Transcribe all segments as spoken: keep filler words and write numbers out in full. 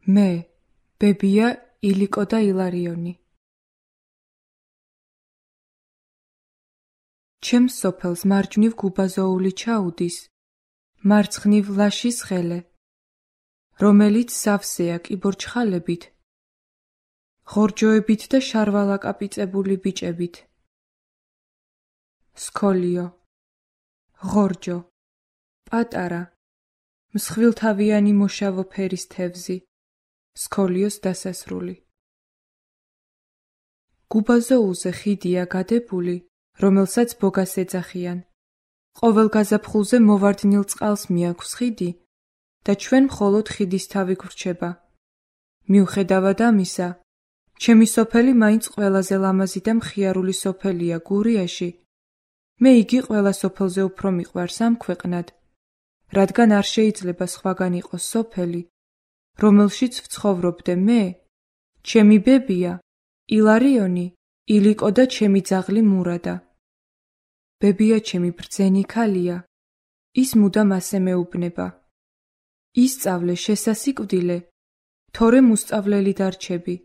მე, ბებია, ილიკო და ილარიონი. ჩემს სოფელს მარჯვნივ გუბაზოული ჩაუდის, მარცხნივ ლაშის ხელე, რომელიც სავსეა კიბორჩხალებით, ღორჯოებით და შარვალაკაპიწებული ბიჭებით. სქოლიო, ღორჯო, პატარა, მსხვილთავიანი მოშავო ფერის თევზი, სქოლიოს დასასრული. გუბაზოულზე ხიდია გადებული, რომელსაც ბოგას ეძახიან. ყოველ გაზაფხულზე მოვარდნილ წყალს მიაქვს ხიდი და ჩვენ მხოლოდ ხიდის თავი გვრჩება. მიუხედავად ამისა, ჩემი სოფელი მაინც ყველაზე ლამაზი და მხიარული სოფელია გურიაში. მე იგი ყველა სოფელზე უფრო მიყვარს ამ ქვეყნად, რადგან არ შეიძლება სხვაგან იყოს სოფელი, რომელშიც ვცხოვრობდე მე, ჩემი ბებია, ილარიონი, ილიკო და ჩემი ძაღლი მურადა. ბებია ჩემი ბრძენი ქალია, ის მუდამ ასე მეუბნება. ისწავლე შესასიკვდილე, თორემ უსწავლელი დარჩები.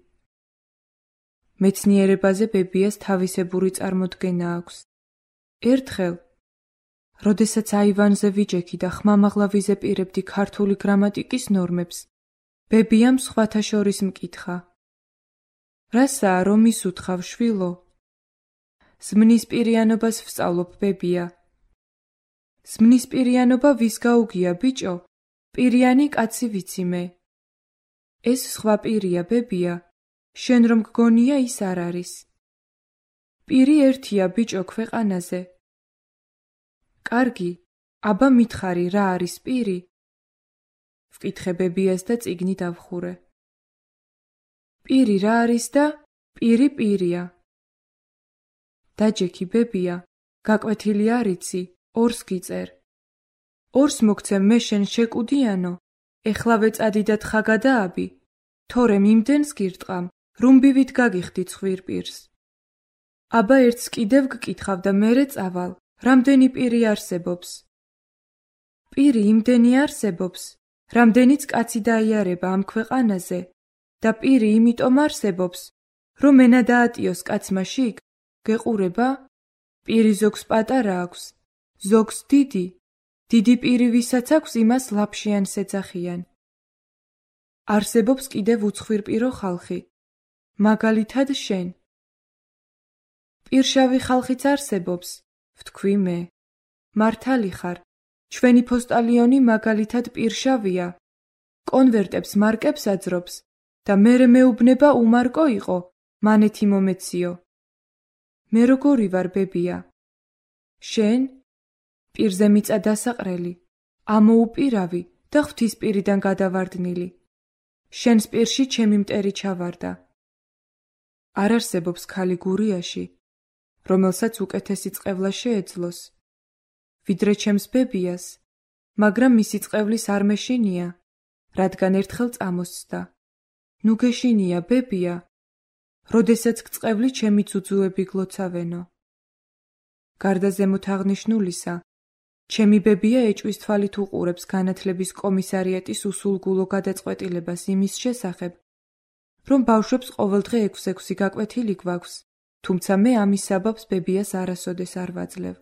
მეცნიერებაზე ბებიას თავისებური წარმოდგენა აქვს. ერთხელ, როდესაც აივანზე ვიჯექი და ხმამაღლა ვიზეპირებდი ქართული გრამატიკის ნორმებს, ბებიამ სხვათა შორის მკითხა. რასაა რომ ისუთხავ, შვილო? ზმნის პირიანობას ვსწავლობ, ბებია. ზმნის პირიანობა ვის გაუგია, ბიჭო? პირიანი კაცი ვიცი მე. ეს სხვა პირია, ბებია, შენ რომ გგონია ის არ არის. პირი ერთია, ბიჭო, ქვეყანაზე. კარგი, აბა მითხარი, რა არის პირი? ვკითხე ბებიას და წიგნი დავხურე. პირი რა არის და პირი პირია. დაჯექი, ბებია, გაკვეთილი არ იცი, ორს გიწერ. ორს მოგცემ მე შენ შეკუდიანო, ეხლავე წადი და თხა გადააბი, თორემ იმდენს გირტყამ, რუმბივით გაგიხდი ცხვირ პირს. აბა ერთს კიდევ გკითხავ და მერე წავალ, რამდენი პირი არსებობს? პირი იმდენი არსებობს, რამდენიც კაცი დაიარება ამ ქვეყანაზე და პირი იმიტომ არსებობს, რომ ენა დაატიოს კაცმა შიგ, გეყურება? პირი ზოგს პატარა აქვს, ზოგს დიდი, დიდი პირი ვისაც აქვს იმას ლაფშიანს ეძახიან. არსებობს კიდევ უცხვირპირო ხალხი, მაგალითად შენ. პირშავი ხალხიც არსებობს, ვთქვი მე. მართალი ხარ, ჩვენი ფოსტალიონი მაგალითად პირშავია, კონვერტებს მარკებს აძრობს და მერე მეუბნება უმარკო იყო, მანეთი მომეციო. მე როგორი ვარ, ბებია? შენ? პირზე მიწა დასაყრელი, ამოუპირავი და ღვთის პირიდან გადავარდნილი. შენს პირში ჩემი მტერი ჩავარდა. არ არსებობს ქალი გურიაში, რომელსაც უკეთესი წყევლა შეეძლოს, ვიდრე ჩემს ბებიას, მაგრამ მისი წყევლის არ მეშინია, რადგან ერთხელ წამოსცდა. ნუ გეშინია, ბებია, როდესაც გწყევლი ჩემი ძუძუები გლოცავენო. გარდა ზემოთ აღნიშნულისა, ჩემი ბებია ეჭვის თვალით უყურებს განათლების კომისარიატის უსულგულო გადაწყვეტილებას იმის შესახებ, რომ ბავშვებს ყოველდღე ექვსი-ექვსი გაკვეთილი გვაქვს, თუმცა მე ამის საბაბს ბებიას არასოდეს არ ვაძლევ.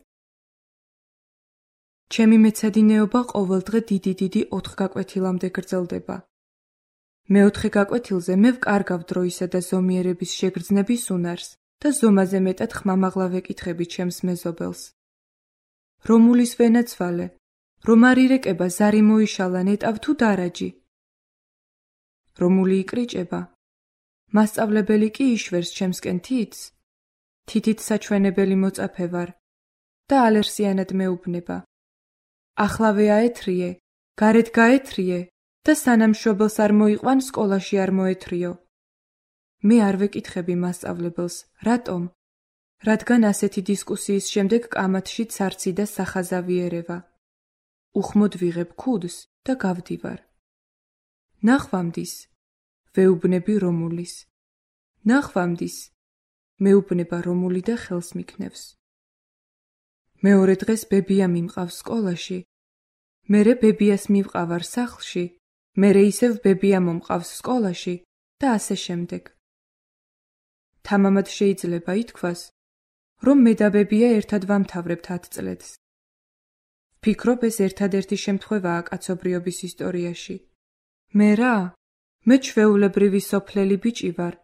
ჩემი მეცადინეობა ყოველდღე დიდი-დიდი ოთხ გაკვეთილამდე გრძელდება. მეოთხე გაკვეთილზე მე ვკარგავ დროისა და ზომიერების შეგრძნების უნარს და ზომაზე მეტად ხმამაღლა ვეკითხები ჩემს მეზობელს. რომულის ვენაცვალე, რომ არ ირეკება ზარი მოიშალა ნეტავ თუ დარაჯი. რომული იკრიჭება, მასწავლებელი კი იშვერს ჩემსკენ თითს, თითით საჩვენებელი მოწაფე ვარ და ალერსიანად მეუბნება. ახლავე აეთრიე, გარეთ გაეთრიე და სანამ მშობელს არ მოიყვან სკოლაში არ მოეთრიო. მე არ ვეკითხები მასწავლებელს, რატომ? რადგან ასეთი დისკუსიის შემდეგ კამათში ცარცი და სახაზავი ერევა. უხმოდ ვიღებ ქუდს და გავდივარ. ნახვამდის, ვეუბნები რომულის. ნახვამდის, მეუბნება რომული და ხელს მიქნევს. მეორე დღეს ბებია მიმყავს სკოლაში, მერე ბებიას მივყავარ სახლში მერე ისევ ბებია მომყავს სკოლაში და ასე შემდეგ. თამამად შეიძლება ითქვას, რომ მე და ბებია ერთად ვამთავრებთ ათ წლებს. ვფიქრობ, ეს ერთადერთი შემთხვევაა კაცობრიობის ისტორიაში. მე რა? მე ჩვეულებრივი სოფლელი ბიჭი ვარ.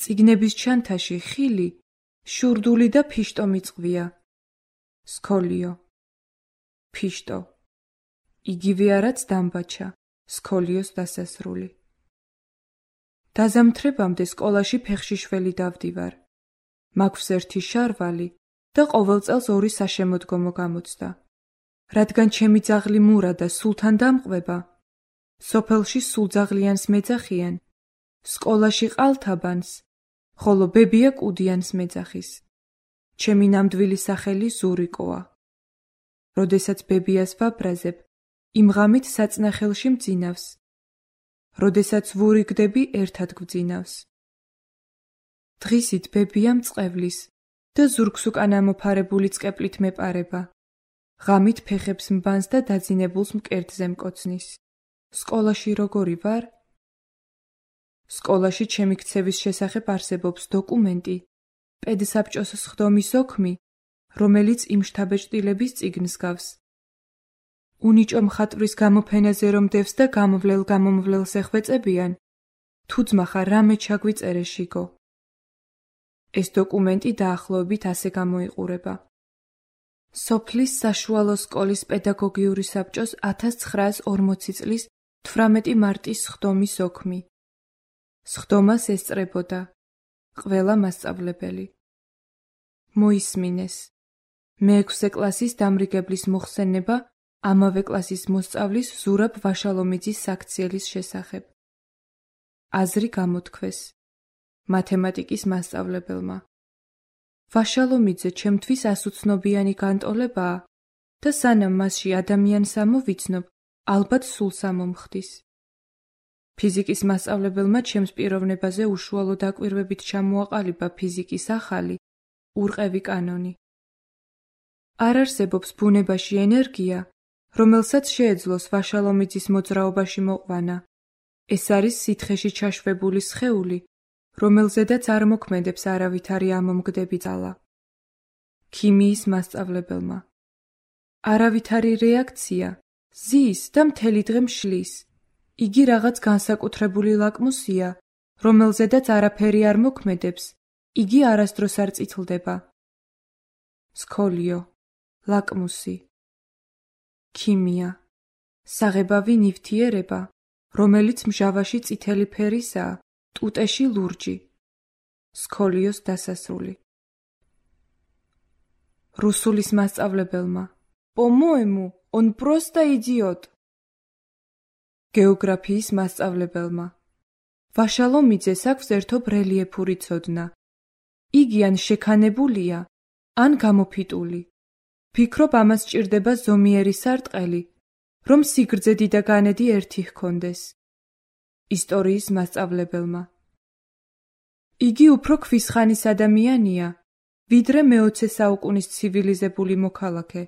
წიგნების ჩანთაში ხილი, შურდული და ფიშტო მიწყვია. სქოლიო. ფიშტო. იგივე არაც დამბაჩა, სქოლიოს დასასრული. დაზამთრებამდე სკოლაში ფეხშიშველი დავდივარ. მაქვს ერთი შარვალი და ყოველ წელს ორი საშემოდგომო გამოცდა. რადგან ჩემი ძაღლი მურა და სულთან დამყვება, სოფელში სულძაღლიანს მეძახიან, სკოლაში ყალთაბანს, ხოლო ბებია კუდიანს მეძახის. ჩემი ნამდვილი სახელი ზურიკოა. როდესაც ბებიას ვაბრაზებ, იმ ღამით საწნახელში მძინავს. როდესაც ვურიგდები, ერთად გვძინავს. დღისით ბებია მწყევლის და ზურგს უკან ამოფარებული წყეპლით მეპარება. ღამით ფეხებს მბანს და დაძინებულს მკერდზე მკოცნის. სკოლაში როგორი ვარ? სკოლაში ჩემი ქცევის შესახებ არსებობს დოკუმენტი, პედსაბჭოს სხდომის ოქმი, რომელიც იმშთაბეჭდილების წიგნს გავს. უნიჭო მხატვრის გამოფენაზე რომ დევს და გამოვლელ-გამომვლელს ეხვეწებიან, თუ ძმა ხარ რამე ჩაგვიწერე შიგო. ეს დოკუმენტი დაახლოებით ასე გამოიყურება. სოფლის საშუალო სკოლის პედაგოგიური საბჭოს ათას ცხრაას ორმოცი წლის თვრამეტი მარტის სხდომის ოქმი. სხდომას ესწრებოდა ყველა მასწავლებელი. მოისმინეს. მეექვსე კლასის დამრიგებლის მოხსენება ამავე კლასის მოსწავლის ზურაბ ვაშალომიძის საქციელის შესახებ. აზრი გამოთქვეს მათემატიკის მასწავლებელმა. ვაშალომიძე ჩემთვის ასუცნობიანი განტოლებაა და სანამ მასში ადამიანს ამოვიცნობ, ალბათ სულს ამომხდის. ფიზიკის მასწავლებელმა ჩემს პიროვნებაზე უშუალო დაკვირვებით ჩამოაყალიბა ფიზიკის ახალი, ურყევი კანონი. არ არსებობს ბუნებაში ენერგია, რომელსაც შეეძლოს ვაშალომიძის მოძრაობაში მოყვანა. ეს არის სითხეში ჩაშვებული სხეული, რომელზედაც არ მოქმედებს არავითარი ამომგდები ძალა. ქიმიის მასწავლებელმა. არავითარი რეაქცია, ზის და მთელი დღე მშლის. იგი რაღაც განსაკუთრებული ლაკმუსია, რომელზედაც არაფერი არ მოქმედებს, იგი არასდროს არ წითლდება. სქოლიო, ლაკმუსი. ქიმია. საღებავი ნივთიერება, რომელიც მჟავაში წითელი ფერისაა, ტუტეში ლურჯი. სქოლიოს დასასრული. რუსულის მასწავლებელმა. По-моему, он просто идиот. გეოგრაფიის მასწავლებელმა. ვაშალომიძეს აქვს ერთობ რელიეფური ცოდნა. იგი ან შექანებულია, ან გამოფიტული. ფიქრობ ამას სჭირდება ზომიერი სარტყელი, რომ სიგრძე და განედი ერთი ჰქონდეს. ისტორიის მასწავლებელმა. იგი უფრო ქვის ხანის ადამიანია, ვიდრე მეოცე საუკუნის ცივილიზებული მოქალაქე.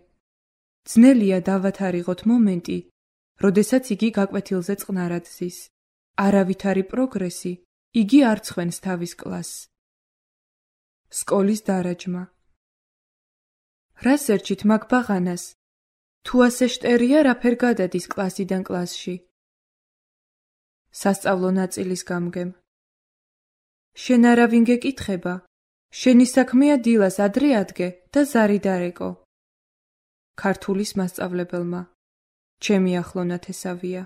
ძნელია დავათარიღოთ მომენტი, როდესაც იგი გაკვეთილზე წყნარად ზის. არავითარი პროგრესი, იგი არ ცხვენს თავის კლასს. სკოლის დარაჯმა. რას ერჩით მაგ ბაღანას? თუ ასე შტერია, რაფერ გადადის კლასიდან კლასში? სასწავლო ნაწილის გამგემ. შენ არავინ გეკითხება? შენი საქმეა დილას ადრე ადგე და ზარი დარეკო. ქართულის მასწავლებელმა. ჩემი ახლო ნათესავია.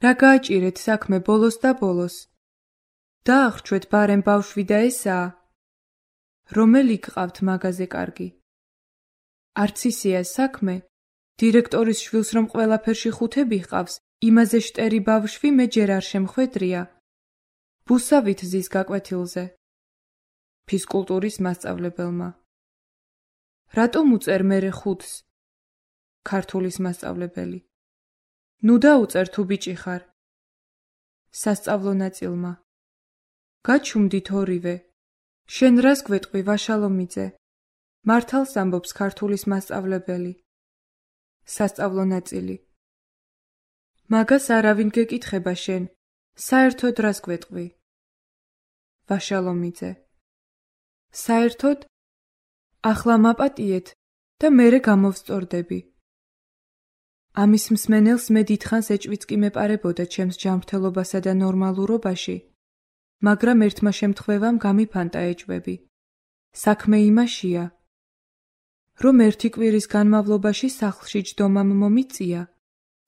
რა გააჭირეთ საქმე ბოლოს და ბოლოს? დაახრჩვეთ ბარემ ბავშვი და ესაა. რომელი გყავთ მაგაზე კარგი? არც ისეა საქმე, დირექტორის შვილს რომ ყველაფერში ხუთები ჰყავს, იმაზე შტერი ბავშვი მე ჯერ არ შემხვედრია. ბუსავით ზის გაკვეთილზე. ფიზკულტურის მასწავლებელმა. რატომ უწერ მერე ხუთს? ქართულის მასწავლებელი. ნუ დაუწერ თუ ბიჭი ხარ. სასწავლო ნაწილმა. გაჩუმდით ორივე. შენ რას გვეტყვი ვაშალომიძე? მართალს ამბობს ქართულის მასწავლებელი. სასწავლო ნაწილი. მაგას არავინ გეკითხება შენ, საერთოდ რას გვეტყვი? ვაშალომიძე. საერთოდ? ახლა მაპატიეთ და მერე გამოვსწორდები. ამის მსმენელს მე დიდხანს ეჭვიც კი მეპარებოდა ჩემს ჯანმრთელობასა და ნორმალურობაში, მაგრამ ერთმა შემთხვევამ გამიფანტა ეჭვები. საქმე იმაშია, რომ ერთი კვირის განმავლობაში სახლში ჯდომამ მომიწია,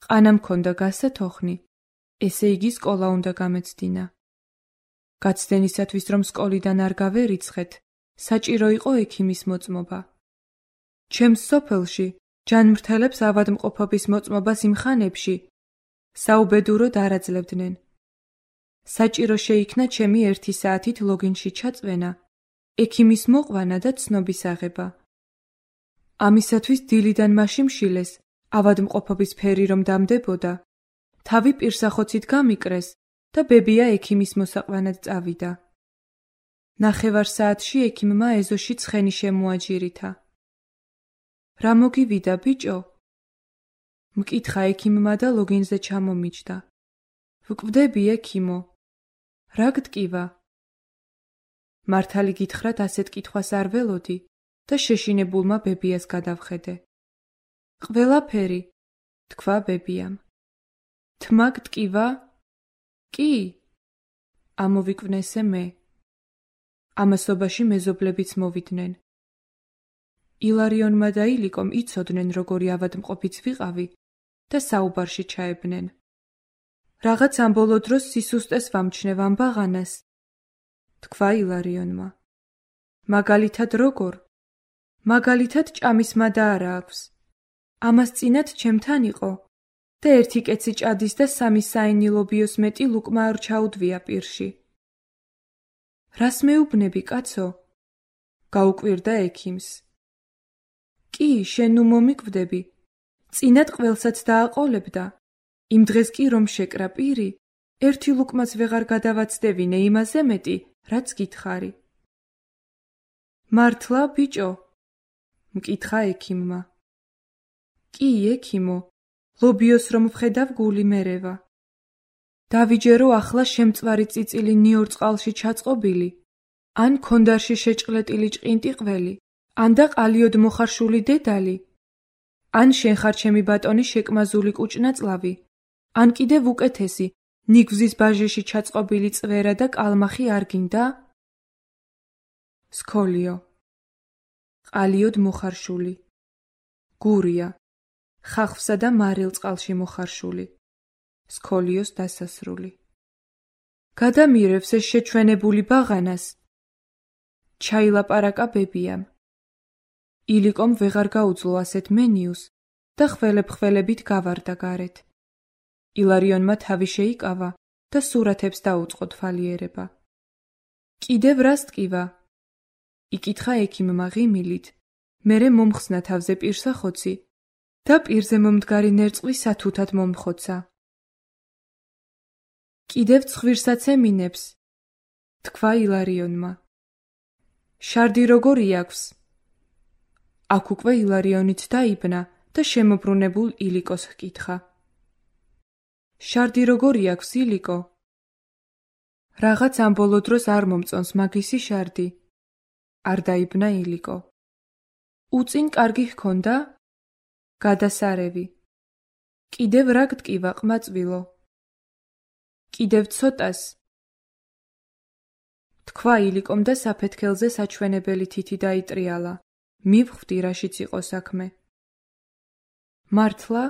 ყანა მქონდა გასათოხნი, ესე იგი სკოლა უნდა გამეცდინა. გაცდენისათვის, რომ სკოლიდან არ გავერიცხეთ, საჭირო იყო ექიმის მოწმობა. ჩემს სოფელში ჯანმრთელებს ავადმყოფობის მოწმობას იმ ხანებში საუბედუროდ არ აძლევდნენ. საჭირო შეიქნა ჩემი ერთი საათით ლოგინში ჩაწვენა, ექიმის მოყვანა და ცნობის აღება. ამისათვის დილიდან მაშიმშილეს, ავადმყოფობის ფერი რომ დამდებოდა, თავი პირსახოცით გამიკრეს და ბებია ექიმის მოსაყვანად წავიდა. ნახევარ საათში ექიმმა ეზოში ცხენი შემოაჯირითა. რა მოგივიდა, ბიჭო? მკითხა ექიმმა და ლოგინზე ჩამომიჯდა. ვკვდები, ექიმო. რა გტკივა? მართალი გითხრათ, ასეთ კითხვას არ ველოდი და შეშინებულმა ბებიას გადავხედე. ყველაფერი, თქვა ბებიამ. თმა გტკივა? კი, ამოვიკვნესე მე. ამასობაში მეზობლებიც მოვიდნენ. ილარიონმა და ილიკომ იცოდნენ, როგორი ავადმყოფიც ვიყავი და საუბარში ჩაებნენ. რაღაც ამ ბოლო დროს სისუსტეს ვამჩნევ ამ ბაღანას, თქვა ილარიონმა. მაგალითად როგორ? მაგალითად ჭამის მადა არა აქვს. ამას წინათ ჩემთან იყო და ერთი კეცი ჭადის და სამი საინილობიოს მეტი ლუკმა არ ჩაუდვია პირში. რას მეუბნები, კაცო? გაუკვირდა ექიმს. კი, შენ ნუ მომიკვდები. წინათ ყველსაც დააყოლებდა. იმ დღეს კი რომ შეკრა პირი, ერთი ლუკმაც ვეღარ გადავაცდევინე იმაზე მეტი, რაც გითხარი. მართლა, ბიჭო? მკითხა ექიმმა. კი, ექიმო, ლობიოს რომ ვხედავ გული მერევა. დავიჯერო ახლა შემწვარი წიწილი ნიორ წყალში ჩაწყობილი, ან ქონდარში შეჭყლეტილი ჭყინტი ყველი, ან და ყალიოდ მოხარშული დედალი, ან შენ ხარ ჩემი ბატონი შეკმაზული კუჭნაწლავი, ან კიდევ უკეთესი, ნიგვზის ბაჟეში ჩაწყობილი წვერა და კალმახი არ გინდა? სქოლიო. ყალიოდ მოხარშული. გურია. ხახვსა და მარილ წყალში მოხარშული. სქოლიოს დასასრული. გადამირევს ეს შეჩვენებული ბაღანას. ჩაილაპარაკა ბებიამ. ილიკომ ვეღარ გაუძლო ასეთ მენიუს და ხველებ-ხველებით გავარდა გარეთ. ილარიონმა თავი შეიკავა და სურათებს დაუწყო თვალიერება. კიდევ რას ტკივა? იკითხა ექიმმა ღიმილით, მერე მომხსნა თავზე პირსახოცი და პირზე მომდგარი ნერწყვი სათუთად მომხოცა. კიდევ ცხვირსაც ემინებს, თქვა ილარიონმა. შარდი როგორი აქვს? აქ უკვე ილარიონიც დაიბნა და შემოbrunებულ ილიკოს ჰკითხა. შარდი როგორი აქვს, ილიკო? რაღაც ამ ბოლო დროს არ მომწონს მაგისი შარდი. არ დაიბნა ილიკო. უწინ კარგი ჰქონდა? გადასარევი. კიდევ რა გტკივა, ყმაწვილო? კიდევ ცოტას. თქვა ილიკომ და საფეთქელზე საჩვენებელი თითი დაიტრიალა. მივხვდი, რაშიც იყო საქმე. მართლა?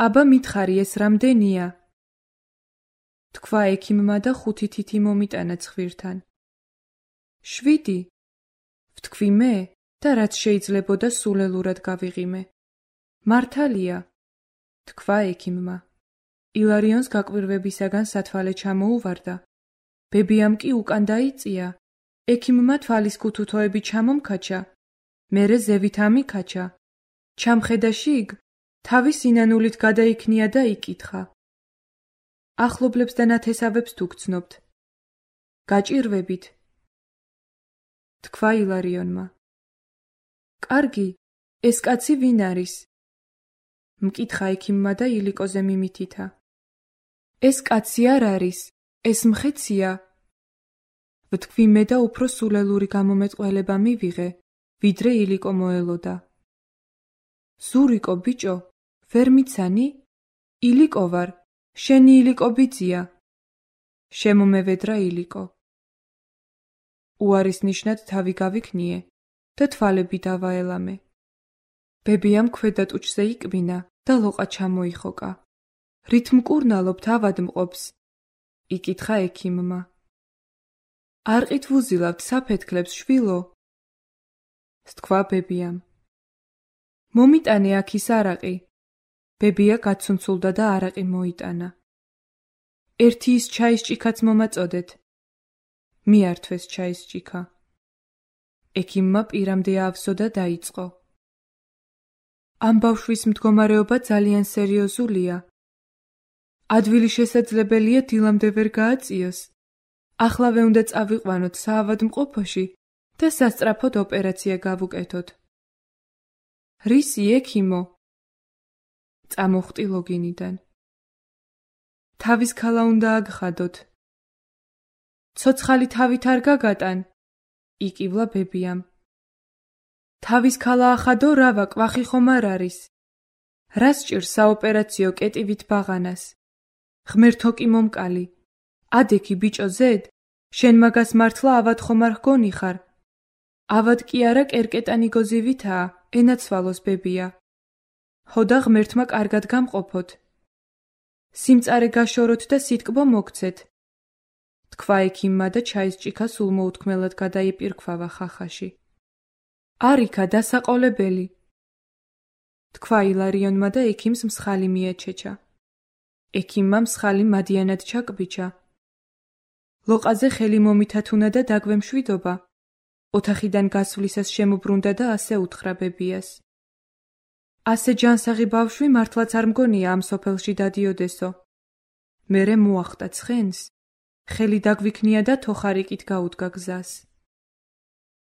აბა მითხარი, ეს რამდენია? თქვა ექიმმა და ხუთი თითი მომიტანა ცხვირთან. შვიდი? ვთქვი მე და რაც შეიძლებოდა სულელურად გავიღიმე. მართალია? თქვა ექიმმა. ილარიონს გაკვირვებისაგან სათვალე ჩამოუვარდა. ბებიამ კი უკან დაიწია. ექიმმა თვალის ქუთუთოები ჩამომქაჩა. მერე ზევით ამიქაჩა. ჩამხედა შიგ, თავის ინანულით გადაიქნია და იკითხა. ახლობლებს და ნათესავებს თუ გცნობთ? გაჭირვებით. თქვა ილარიონმა. კარგი, ეს კაცი ვინ არის? მკითხა ექიმმა და ილიკოზე მიმითითა. ეს კაცი არ არის, ეს მხეცია. ვთქვი მე და უფრო სულელური გამომეტყველება მივიღე, ვიდრე ილიკო მოელოდა. ზურიკო ბიჭო, ვერ მიცანი? ილიკო ვარ, შენი ილიკო ბიძია. შემომევედრა ილიკო. უარის ნიშნად თავი გავიქნიე და თვალები დავაელამე. ბებიამ ქვედა ტუჩზე იკბინა და ლოყა ჩამოიხოკა. რით მკურნალობთ ავადმყოფს? იკითხა ექიმმა. არყით ვუზილავთ საფეთქლებს, შვილო? სთქვა ბებიამ. მომიტანე აქ ის არაყი. ბებია გაცუნცულდა და არაყი მოიტანა. ერთი ის ჩაის ჭიქაც მომაწოდეთ. მიართვეს ჩაის ჭიქა. ექიმმა პირამდე აავსო და დაიწყო. ამ ბავშვის მდგომარეობა ძალიან სერიოზულია. ადვილი შესაძლებელია დილამდე ვერ გააწიოს. ახლავე უნდა წავიყვანოთ საავადმყოფოში და სასწრაფოდ ოპერაცია გავუკეთოთ. რისი ექიმო? წამოხტი ლოგინიდან. თავის ქალა უნდა აგხადოთ. ცოცხალი თავით არ გაგატან, იკივლა ბებიამ. თავის ქალა ახადო, რავა, კვახი ხომ არ არის. რას ჭირს საოპერაციო კეტივით ბაღანას? ღმერთო კი მომკალი. ადექი ბიჭო ზედ, შენ მაგას მართლა ავად ხომ არ ჰგონი ხარ? ავად კი არა კერკეტანი გოზივითაა, ენაცვალოს ბებია. ჰოდა ღმერთმა კარგად გამყოფოთ. სიმწარე გაშოროთ და სიტკბო მოგცეთ. თქვა ექიმმა და ჩაის ჭიქა სულ მოუთქმელად გადაიპირქვავა ხახაში. არიქა დასაყოლებელი. თქვა ილარიონმა და ექიმს მსხალი მიეჩეჩა. ექიმმა მსხალი მადიანად ჩაკბიჩა. ლოყაზე ხელი მომითათუნა და დაგვემშვიდობა. ოთახიდან გასვლისას შემობრუნდა და ასე უთხრა ბებიას. ასე ჯანსაღი ბავშვი მართლაც არ მგონია ამ სოფელში დადიოდესო. მერე მოახტა ცხენს, ხელი დაგვიქნია და თოხარიკით გაუდგა გზას.